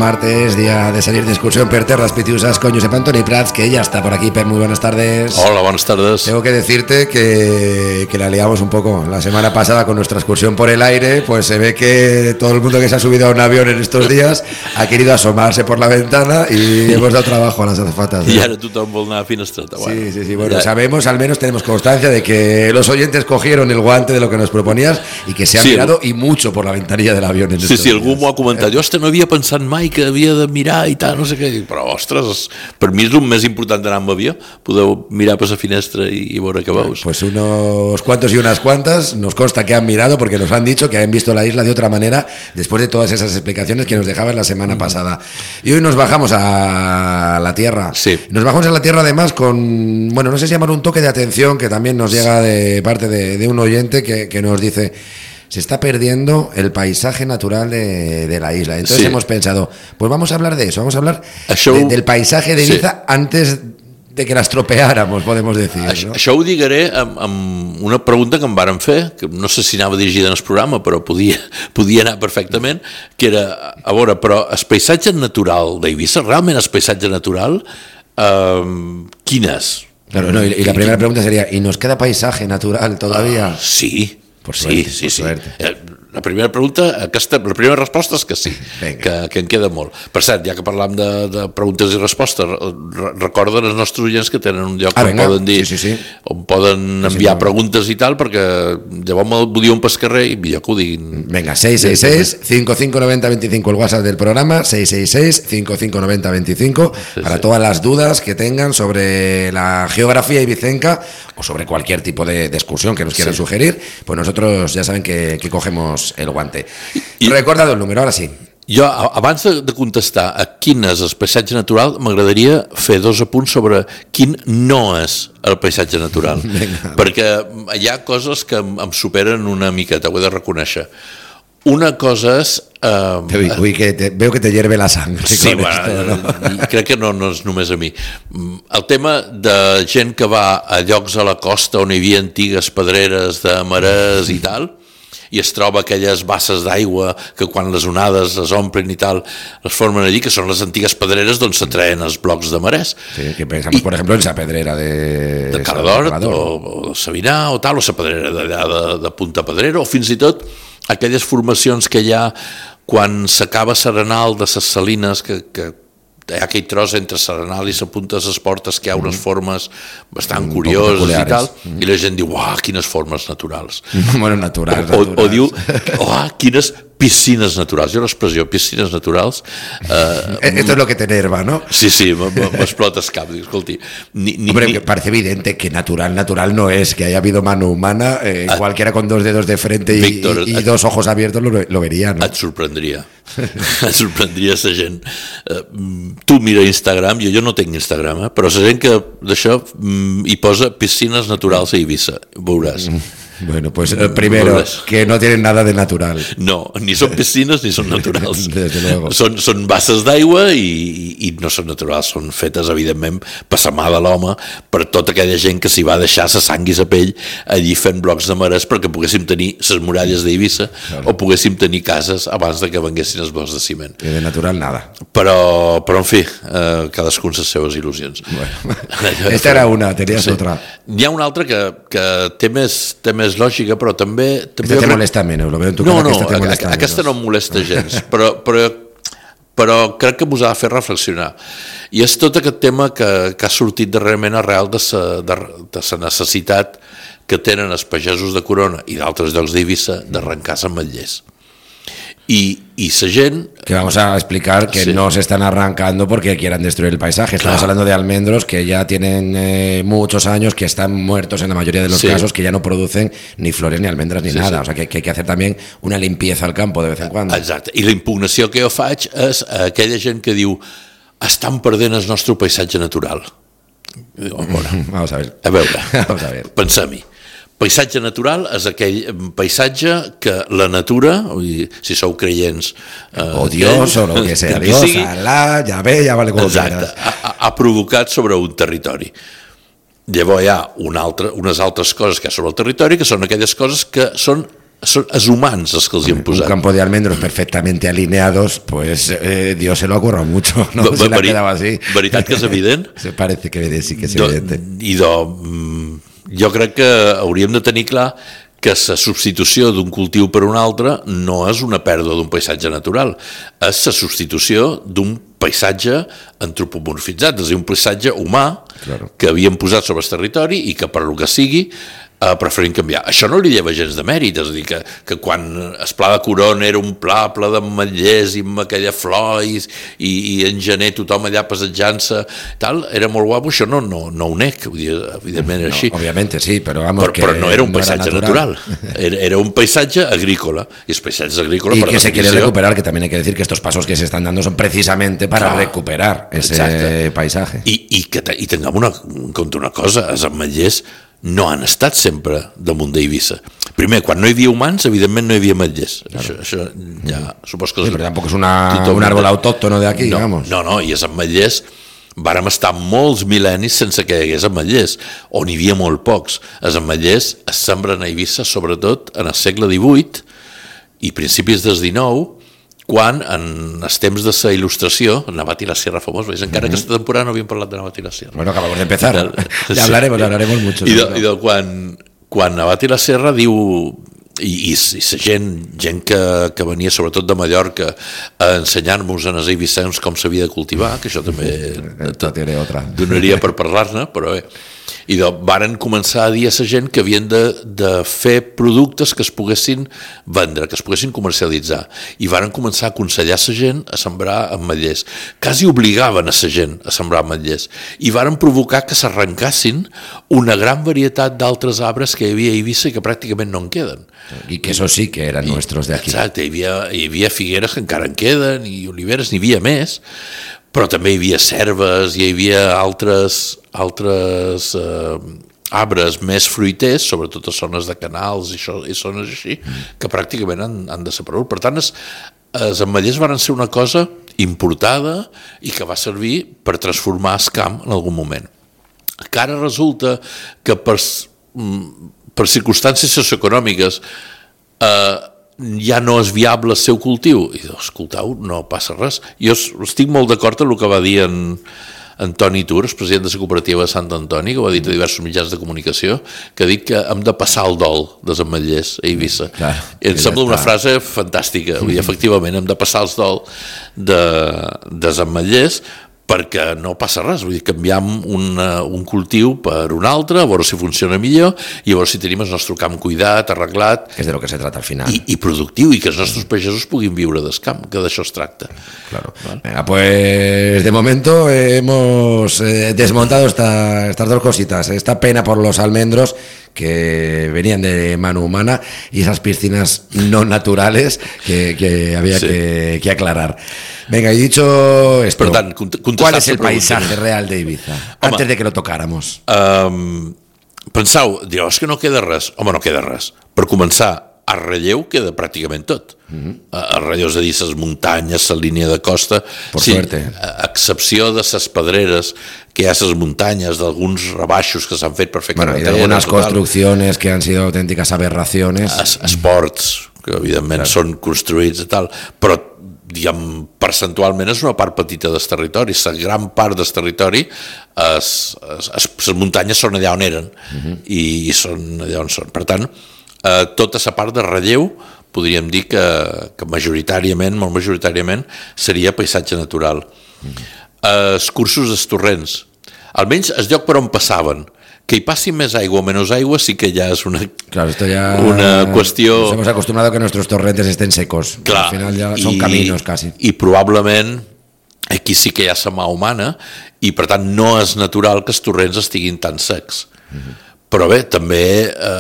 martes, día de salir de excursión per terras pitiusas con Josep Antoni Prats, que ya está por aquí. Pep, muy buenas tardes. Hola, buenas tardes. Tengo que decirte que la liamos un poco. La semana pasada con nuestra excursión por el aire, pues se ve que todo el mundo que se ha subido a un avión en estos días ha querido asomarse por la ventana y hemos dado trabajo a las azafatas. Y ahora tú también una finestreta. Bueno, sí. Bueno, ya sabemos, al menos tenemos constancia de que los oyentes cogieron el guante de lo que nos proponías y que se han mirado y mucho por la ventanilla del avión. En sí, algú m'ho ha comentat. Jo no havia pensat mai que havia de mirar i tal, no sé què. Però, ostres, per mi és el més important d'anar amb avió. Podeu mirar per la finestra i veure què veus. Pues unos cuantos y unas cuantas nos consta que han mirado porque nos han dicho que han visto la isla de otra manera después de todas esas explicaciones que nos dejaban la semana pasada. Y hoy nos bajamos a la tierra. Sí. Nos bajamos a la tierra además con, bueno, no sé si llamar un toque de atención que también nos llega de parte de un oyente que nos dice: se está perdiendo el paisaje natural de la isla. Entonces hemos pensado, pues vamos a hablar de eso, vamos a hablar del paisaje de Ibiza antes de que l'estropeáramos, podemos decir. No? Això ho digueré amb una pregunta que em varen fer, que no sé si anava dirigida en el programa, però podia anar perfectament, que era, a veure, però el paisatge natural d'Eivissa, realment el paisatge natural, quin és? Claro, no, y la primera pregunta sería, ¿y nos queda paisaje natural todavía? Sí. Por suerte, sí. Suerte. La primera resposta és que sí, que en queda molt. Per cert, ja que parlam de preguntes i respostes, recorden els nostres oients que tenen un lloc on poden dir, on poden enviar preguntes i tal, perquè llavors me'l diuen pel carrer i millor que ho diguin. Venga, 666-5590-25, el WhatsApp del programa, 666-5590-25, para todas las dudas que tengan sobre la geografía ibicenca o sobre cualquier tipo de excursión que nos quieran sugerir, pues nosotros ya saben que cogemos el guante. Recordado el número, ahora sí. Jo, abans de contestar a quin és el paisatge natural, m'agradaria fer dos apunts sobre quin no és el paisatge natural. Perquè hi ha coses que em superen una miqueta, ho he de reconèixer. Una cosa és... veo que te hierve la sang. Sí, crec que no és només a mi. El tema de gent que va a llocs a la costa on hi havia antigues pedreres de marès i tal, i es troba aquelles basses d'aigua que quan les onades es omplen i tal es formen allí, que són les antigues pedreres d'on s'atreuen els blocs de marès. Sí, que pensamos, por ejemplo, en esa pedrera de Cardort o de Sabinà o tal, o la pedrera d'allà de Punta Pedrera, o fins i tot aquelles formacions que hi ha quan s'acaba Serenal de les Salines, que hi ha aquell tros entre Serenal i la Punta de les Portes que hi ha unes formes bastant curioses i tal, i la gent diu, uah, quines formes naturals. Bueno, naturals. O diu, uah, quines piscines naturals. Jo l'expressió piscines naturals... Esto es lo que te enerva, ¿no? Sí, m'explota el cap. Escolti, hombre, parece evidente que natural no es, que haya habido mano humana, cualquiera con dos dedos de frente Víctor, y dos ojos abiertos lo vería, ¿no? Et sorprendria la gent. Tu mira Instagram, jo no tinc Instagram, però la gent que d'això hi posa piscines naturals a Eivissa, veuràs. Bueno, pues primero, que no tienen nada de natural. No, ni són piscines ni són naturals. Desde luego. Són basses d'aigua i no són naturals, són fetes, evidentment, per la mà de l'home, per tota aquella gent que s'hi va deixar la sang i la pell allí fent blocs de marès perquè poguéssim tenir les muralles d'Eivissa o poguéssim tenir cases abans de que venguessin els blocs de ciment. I de natural, nada. Però en fi, cadascun les seves il·lusions. Bueno, esta era una, tenies otra. N'hi ha una altra que té més lògica, però també... Aquesta te molesta menys, lo veo en tu cara, aquesta no em molesta gens, però crec que m'ho ha de fer reflexionar. I és tot aquest tema que ha sortit darrerament arrel de la necessitat que tenen els pagesos de Corona i d'altres llocs d'Eivissa d'arrencar-se ametllers. Y esa gente... Que vamos a explicar que no se están arrancando porque quieran destruir el paisaje. Estamos hablando de almendros que ya tienen muchos años, que están muertos en la mayoría de los casos, que ya no producen ni flores, ni almendras, ni nada. O sea, que hay que hacer también una limpieza al campo de vez en cuando. Exacte. I la impugnació que jo faig és aquella gent que diu estan perdent el nostre paisatge natural. Vamos a ver. A veure, pensem-hi. Paisatge natural és aquell paisatge que la natura, si sou creients... o Dios, o lo que sea, Dios, Alá, ya vale com exacte, ha provocat sobre un territori. Llavors hi ha unes altres coses que hi ha sobre el territori, que són aquelles coses que són Són els humans els que els hi han posat. Un campo de almendros perfectamente alineados, pues Dios se lo ha currado mucho, ¿no? Se le ha quedado así. Veritat que és evident? Se parece que sí que és evidente. Jo crec que hauríem de tenir clar que la substitució d'un cultiu per un altre no és una pèrdua d'un paisatge natural, és la substitució d'un paisatge antropomorfitzat, és a dir, un paisatge humà que havíem posat sobre el territori i que per lo que sigui preferim canviar. Això no li lleva gens de mèrit, és a dir, que quan el pla de Corona era un pla ple d'ametllers i amb aquella flor i en gener tothom allà passejant-se, tal, era molt guapo, això no ho nec, evidentment era així. Òbviament sí, però vamos, però no era un paisatge natural, era un paisatge agrícola, i els paisatges agrícolas... Y que se quiere recuperar, que también hay que decir que estos pasos que se están dando son precisamente para recuperar ese paisaje. I tinguem en compte una cosa, els ametllers no han estat sempre damunt d'Eivissa. Primer, quan no hi havia humans, evidentment no hi havia ametllers. Això ja supos que... Sí, però tampoc és un árbol autóctono de aquí, digamos. No, i els ametllers vàrem estar molts mil·lennis sense que hi hagués ametllers, on hi havia molt pocs. Els ametllers es sembren a Eivissa, sobretot en el segle XVIII i principis del XIX, quan en els temps de la il·lustració, Navat i la Sierra famós, veus, encara aquesta temporada no havíem parlat de Navat i la Sierra. Bueno, acabamos de empezar, ya hablaremos mucho. I quan Navat i la Sierra diu, i la gent que venia sobretot de Mallorca a ensenyar-nos a els eivissencs com s'havia de cultivar, que això també donaria per parlar-ne, però bé. I varen començar a dir a la gent que havien de fer productes que es poguessin vendre, que es poguessin comercialitzar, i varen començar a aconsellar a la gent a sembrar ametllers, quasi obligaven a la gent a sembrar ametllers, i varen provocar que s'arrencassin una gran varietat d'altres arbres que hi havia a Eivissa i que pràcticament no en queden. I que eso sí que eren nuestros de aquí. Exacte, hi havia figueres que encara en queden, i oliveres, n'hi havia més, però també hi havia cérvols, hi havia altres arbres més fruiters, sobretot a zones de canals i zones així, que pràcticament han desaparegut. Per tant, els ametllers van ser una cosa importada i que va servir per transformar el camp en algun moment. Que ara resulta que per circumstàncies socioeconòmiques ja no és viable el seu cultiu. I escoltau, no passa res. Jo estic molt d'acord amb el que va dir en Toni Turs, president de la cooperativa de Sant Antoni, que ho ha dit a diversos mitjans de comunicació, que ha dit que hem de passar el dol dels ametllers a Eivissa. I em sembla una frase fantàstica. Vull dir, efectivament, hem de passar el dol dels ametllers perquè no passa res, vull dir, canviam un cultiu per un altre, a veure si funciona millor i a veure si tenim el nostre camp cuidat, arreglat... Que és de lo que se trata al final. I productiu, i que els nostres pagesos puguin viure del camp, que d'això es tracta. Claro. ¿Vale? Venga, pues de momento hemos desmontado estas dos cositas, esta pena por los almendros que venían de mano humana y esas piscinas no naturales que había que aclarar. Venga, y dicho esto, per tant, ¿cuál es el paisaje real de Ibiza? Antes de que lo tocáramos. Pensau, direu, és que no queda res. Home, no queda res. Per començar, a relleu queda pràcticament tot. A relleu, és a dir, les muntanyes, la línia de costa... Por suerte. A excepció de les pedreres, que hi ha les muntanyes, d'alguns rebaixos que s'han fet per fer carreteres... Bueno, y de algunas construcciones que han sido auténticas aberraciones. Esports, que evidentment són construïts i tal, però diguem, percentualment és una part petita del territori. La gran part del territori, les muntanyes són allà on eren i són allà on són. Per tant, tota la part de relleu podríem dir que majoritàriament, molt majoritàriament, seria paisatge natural. Els cursos dels torrents, almenys el lloc per on passaven, que hi passi més aigua o menys aigua sí que ja és una qüestió... Nos hemos acostumbrado a que nuestros torrentes estén secos. Clar, al final ya son caminos casi. I probablement aquí sí que hi ha la mà humana i per tant no és natural que els torrents estiguin tan secs. Però bé, també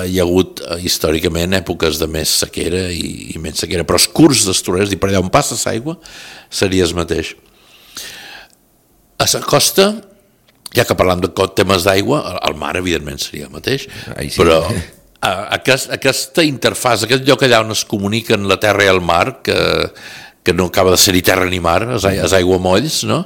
hi ha hagut històricament èpoques de més sequera i menys sequera, però els curs dels torrents, i per allà on passa l'aigua, seria el mateix. A la costa, ja que parlam de temes d'aigua, el mar evidentment seria el mateix, sí. Però aquesta interfàs, aquest lloc allà on es comuniquen la terra i el mar, que no acaba de ser-hi terra ni mar, els aiguamolls, no?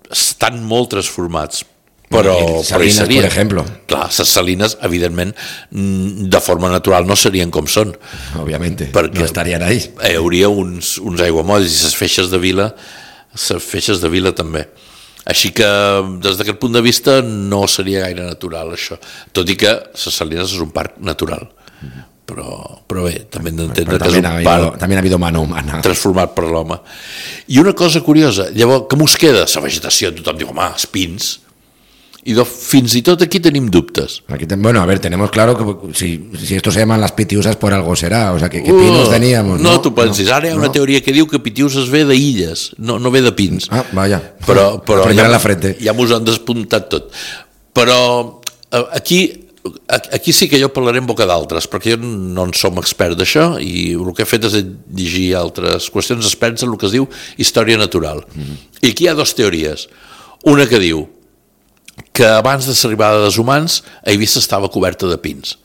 Estan molt transformats. però Salinas, hi seria. per exemple. Clar, les salines, evidentment, de forma natural no serien com són. Òbviament, perquè no estarien ahí. Hi hauria uns aiguamolls i les feixes de vila també. Així que, des d'aquest punt de vista, no seria gaire natural, això. Tot i que les Salines és un parc natural. Però bé, també hem d'entendre que és un parc també ha habido mano humana transformat per l'home. I una cosa curiosa, llavors, què mos queda? La vegetació, tothom diu, home, els pins. Y fins y tot aquí tenim dubtes. Aquí bueno, a ver, tenemos claro que si esto se llaman las pitiusas por algo será, o sea, que pinos teníamos. No, tu pensis, ara hi ha una teoria que diu que pitiusas ve d'illes, no ve de pins. Ah, vaja. Però ja, la frente. Ja mos han despuntat tot. Però aquí sí que jo parlaré en boca d'altres, perquè jo no en som expert d'això i el que he fet és llegir altres qüestions experts en el que es diu història natural. I aquí hi ha dues teories. Una que diu que abans de l'arribada dels humans Eivissa estava coberta de pins.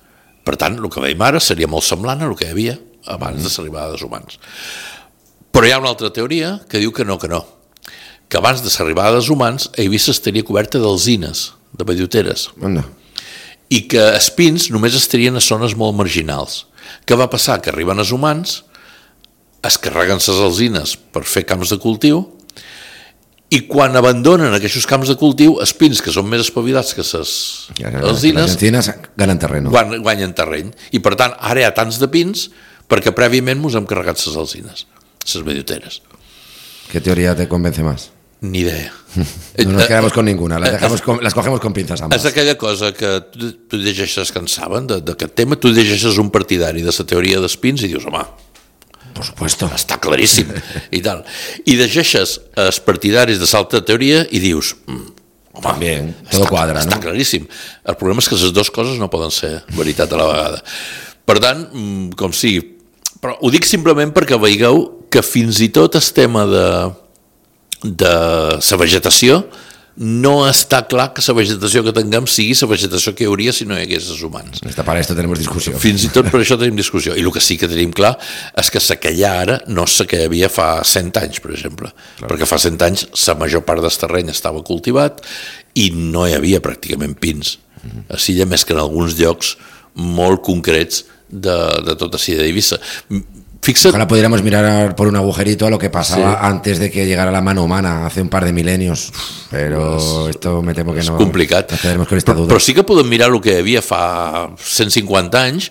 Per tant, el que veiem ara seria molt semblant a el que hi havia abans de l'arribada dels humans. Però hi ha una altra teoria que diu que no, que abans de l'arribada dels humans Eivissa estaria coberta d'alzines, de belloteres. I que els pins només estarien a zones molt marginals. Què va passar? Que arriben els humans, es carreguen les alzines per fer camps de cultiu, i quan abandonen aquests camps de cultiu, els pins, que són més espavilats que les alzines, guanyen terreny. I per tant, ara hi ha tants de pins perquè prèviament ens hem carregat les alzines, les belloteres. ¿Qué teoría te convence más? Ni idea. No nos quedamos con ninguna, las cogemos con pinzas ambas. És aquella cosa que tu llegeixes, que en saben d'aquest tema, tu llegeixes un partidari de la teoria dels pins i dius, home, por supuesto, està claríssim i tal. I llegeixes els partidaris de l'altra teoria i dius, home, también, todo cuadra, està claríssim. El problema és que les dues coses no poden ser veritat a la vegada. Per tant, com sigui, però ho dic simplement perquè veieu que fins i tot el tema de la vegetació no està clar que la vegetació que tinguem sigui la vegetació que hi hauria si no hi hagués els humans. Para esto tenemos discussió. Fins i tot per això tenim discussió. I el que sí que tenim clar és que la que hi ha ara no és la que hi havia fa 100 anys, per exemple. Clar. Perquè fa 100 anys la major part del terreny estava cultivat i no hi havia pràcticament pins. Així ja més que en alguns llocs molt concrets de tota la d'Eivissa. Ojalá pudiéramos mirar por un agujerito a lo que pasaba antes de que llegara la mano humana, hace un par de milenios, pero esto me temo que no. És complicat, però sí que podem mirar el que hi havia fa 150 anys,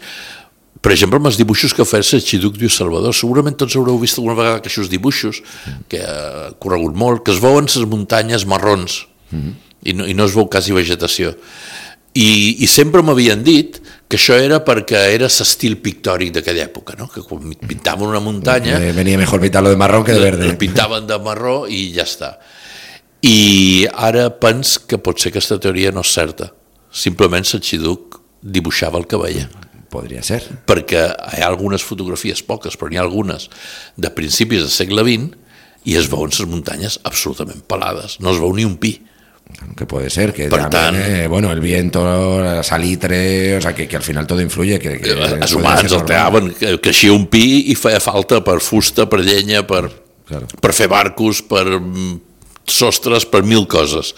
per exemple, amb els dibuixos que feia l'Arxiduc de Salvador. Segurament tots haureu vist alguna vegada aquests dibuixos, que ha corregut molt, que es veuen les muntanyes marrons i no es veu quasi vegetació. I sempre m'havien dit que això era perquè era l'estil pictòric d'aquella època, no? Que quan pintaven una muntanya venia mejor pintarlo de marrón que de verde. Pintaven de marró i ja està. I ara pens que pot ser que aquesta teoria no és certa. Simplement l'Arxiduc dibuixava el que veia. Podria ser. Perquè hi ha algunes fotografies, poques, però n'hi ha algunes de principis del segle XX i es veuen les muntanyes absolutament pelades. No es veu ni un pi. Que puede ser, que también, bueno, el viento, la salitre, o sea, que al final todo influye. Els humans el treaven, creixia un pi i feia falta per fusta, per llenya, per fer barcos, per sostres, per 1000 coses.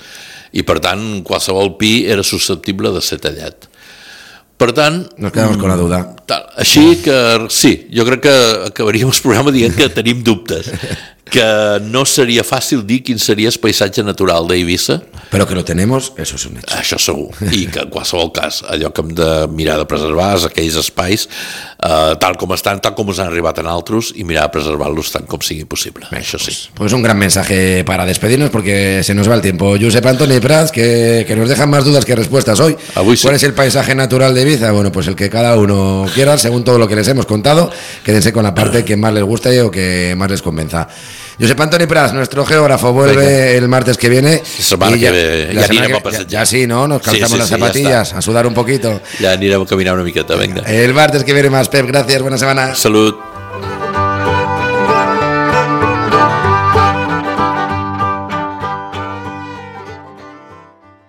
I per tant, qualsevol pi era susceptible de ser tallat. Per tant... Nos quedamos con la duda. Així que, sí, jo crec que acabaríem el programa dient que tenim dubtes, que no seria fàcil dir quin seria el paisatge natural d'Eivissa. Però que lo tenemos, eso es un hecho. Això segur, i que en qualsevol cas allò que hem de mirar de preservar és aquells espais tal com estan, tal com ens han arribat en altres, i mirar de preservar-los tant com sigui possible. Això sí. Pues un gran mensaje para despedirnos porque se nos va el tiempo. Josep Antoni Prats, que nos dejan más dudas que respuestas hoy. ¿Cuál es el paisaje natural de Eivissa? Bueno, pues el que cada uno quiera, según todo lo que les hemos contado. Quédense con la parte que más les guste o que más les convenza. Josep Antoni Prats, nuestro geógrafo, vuelve el martes que viene. Ya sí, ¿no? Nos calzamos las zapatillas a sudar un poquito. Ya anirem a caminar una miqueta, venga. El martes que viene más, Pep, gracias, buena semana. Salut.